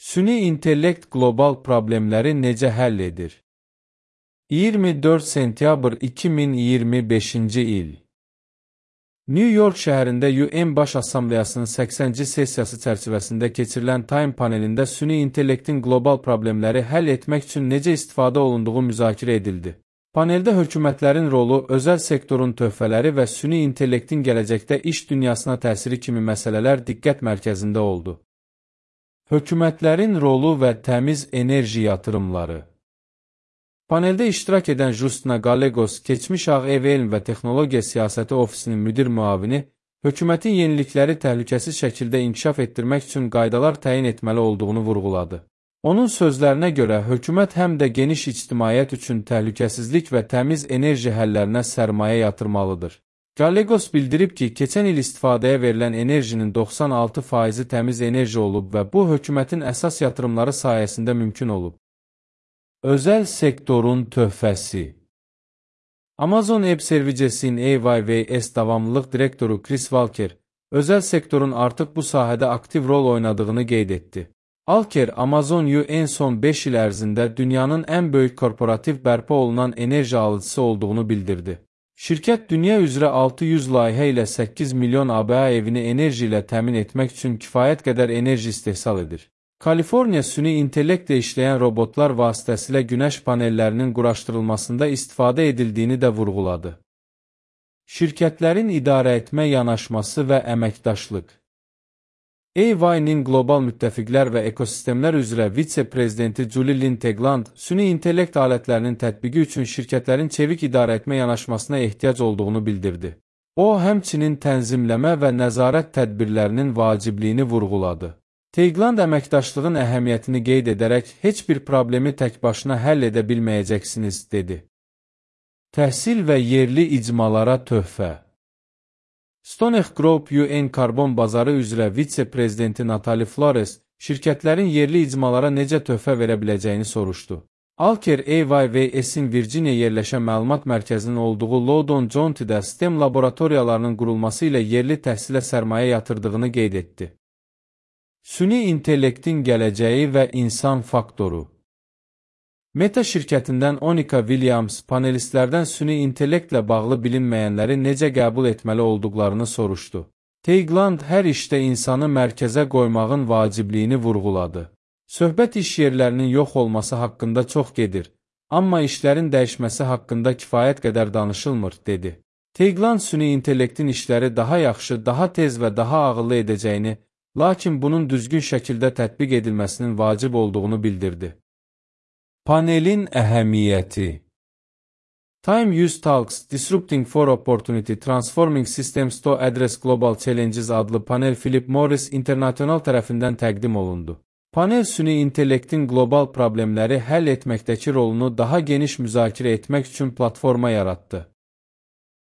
Süni intellekt qlobal problemləri necə həll edir? 24 sentyabr 2025-ci il. New York şəhərində UN Baş Assambleyasının 80-ci sessiyası çərçivəsində keçirilən Time panelində süni intellektin qlobal problemləri həll etmək üçün necə istifadə olunduğu müzakirə edildi. Paneldə hökumətlərin rolu, özəl sektorun töhfələri və süni intellektin gələcəkdə iş dünyasına təsiri kimi məsələlər diqqət mərkəzində oldu. Hökumətlərin rolu və təmiz enerji yatırımları. Paneldə iştirak edən Justina Gallegos, keçmiş Ağ Ev Elm və Texnologiya Siyasəti Ofisinin müdir müavini, hökumətin yenilikləri təhlükəsiz şəkildə inkişaf etdirmək üçün qaydalar təyin etməli olduğunu vurğuladı. Onun sözlərinə görə, hökumət həm də geniş ictimaiyyət üçün təhlükəsizlik və təmiz enerji həllərinə sərmayə yatırmalıdır. Gallegos bildirib ki, keçən il istifadəyə verilən enerjinin 96% təmiz enerji olub və bu, hökumətin əsas yatırımları sayəsində mümkün olub. Özəl sektorun töhfəsi. Amazon Web Services'in AWS davamlılıq direktoru Chris Walker, özəl sektorun artıq bu sahədə aktiv rol oynadığını qeyd etdi. Walker, Amazon UN son 5 il ərzində dünyanın ən böyük korporativ bərpa olunan enerji alıcısı olduğunu bildirdi. Şirkət dünya üzrə 600 layihə ilə 8 milyon ABA evini enerji ilə təmin etmək üçün kifayət qədər enerji istehsal edir. Kaliforniya süni intellektlə işləyən robotlar vasitəsilə günəş panellərinin quraşdırılmasında istifadə edildiyini də vurğuladı. Şirkətlərin idarə etmə yanaşması və əməkdaşlıq. EY-nin qlobal müttəfiqlər və ekosistemlər üzrə vitse-prezidenti Julie Lynn Tegland, süni intellekt alətlərinin tətbiqi üçün şirkətlərin çevik idarə etmə yanaşmasına ehtiyac olduğunu bildirdi. O, həmçinin tənzimləmə və nəzarət tədbirlərinin vacibliyini vurğuladı. Tegland əməkdaşlığın əhəmiyyətini qeyd edərək, heç bir problemi tək başına həll edə bilməyəcəksiniz, dedi. Təhsil və yerli icmalara töhfə. Stonehenge Group UN karbon bazarı üzrə vitse-prezidenti Natalie Flores, şirkətlərin yerli icmalara necə töhfə verə biləcəyini soruşdu. Walker, AWS-in Virginia yerləşən məlumat mərkəzinin olduğu Loudoun County'də STEM laboratoriyalarının qurulması ilə yerli təhsilə sərmayə yatırdığını qeyd etdi. Süni intellektin gələcəyi və insan faktoru. Meta şirkətindən Onika Williams, panelistlərdən süni intellektlə bağlı bilinməyənləri necə qəbul etməli olduqlarını soruşdu. Tegland hər işdə insanı mərkəzə qoymağın vacibliyini vurğuladı. Söhbət iş yerlərinin yox olması haqqında çox gedir, amma işlərin dəyişməsi haqqında kifayət qədər danışılmır, dedi. Tegland süni intellektin işləri daha yaxşı, daha tez və daha ağıllı edəcəyini, lakin bunun düzgün şəkildə tətbiq edilməsinin vacib olduğunu bildirdi. Panelin əhəmiyyəti. Time Use Talks, Disrupting for Opportunity, Transforming Systems to Address Global Challenges adlı panel Philip Morris International tərəfindən təqdim olundu. Panel süni intellektin qlobal problemləri həll etməkdəki rolunu daha geniş müzakirə etmək üçün platforma yaratdı.